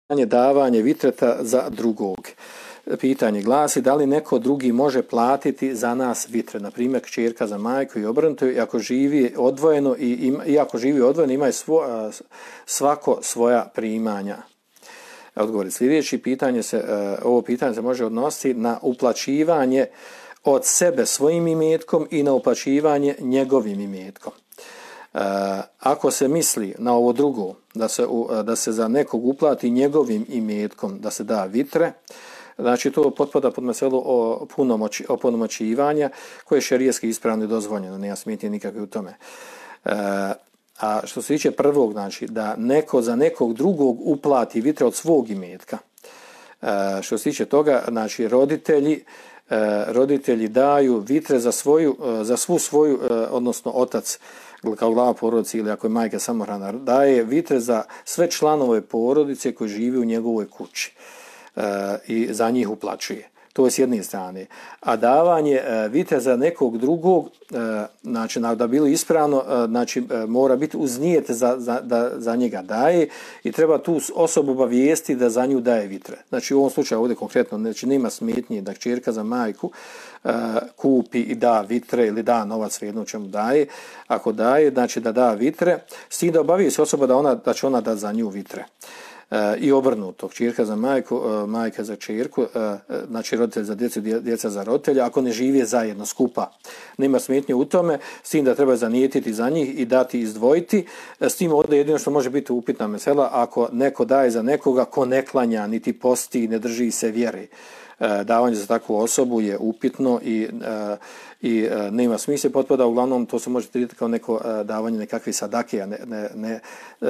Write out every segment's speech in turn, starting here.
davanje vitreta za drugog. Pitanje glasi da li neko drugi može platiti za nas vitre, na primjer kćerka za majku i obrnuto, i ako živi odvojeno ima svako svoja primanja. Odgovor sljedeći. Ovo pitanje se može odnositi na uplaćivanje od sebe svojim imetkom i na uplaćivanje njegovim imetkom. Ako se misli na ovo drugo, da se za nekog uplati njegovim imetkom, da se da vitre, znači to potpada pod meselu opunomoćivanja koje je šerijski ispravno i dozvoljeno, nema smetnje nikakve u tome. A što se tiče prvog, znači da neko za nekog drugog uplati vitre od svog imetka. Što se tiče toga, znači roditelji daju vitre za svu svoju, odnosno otac kao glava porodice ili ako je majka samohrana, daje vitre za sve članove porodice koji žive u njegovoj kući i za njih uplaćuje. To je s jedne strane. A davanje vitre za nekog drugog, znači da bilo ispravno, znači mora biti uz nijet da za njega daje i treba tu osobu obavijesti da za nju daje vitre. Znači u ovom slučaju ovdje konkretno, znači nema smetnje da kćerka za majku kupi i da vitre ili da novac svejedno čemu daje. Ako daje, znači da da vitre, s tim da obavijesti osoba da će ona da za nju vitre. I obrnuto, kćerka za majku, majka za kćerku, znači roditelj za djecu, djeca za roditelja, ako ne žive zajedno skupa. Nema smetnje u tome, s tim da treba zanijetiti za njih i dati izdvojiti. S tim ovdje jedino što može biti upitna mesela, ako neko daje za nekoga ko ne klanja, niti posti, ne drži se vjere. Davanje za takvu osobu je upitno i nema smisla, potpada, uglavnom to se može tretirati kao neko davanje nekakve sadake, a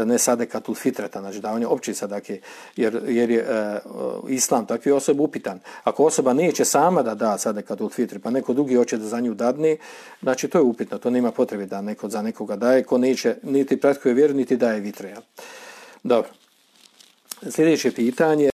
ne sadekatul fitreta, znači davanje opće sadake, jer je islam takvi osoba upitan. Ako osoba neće sama da da sadekatul fitri, pa neko drugi hoće da za nju dadne, znači to je upitno, to nema potrebe da neko za nekoga daje, ko neće niti pratkuje vjeru, niti daje vitre. Dobro. Sljedeće pitanje.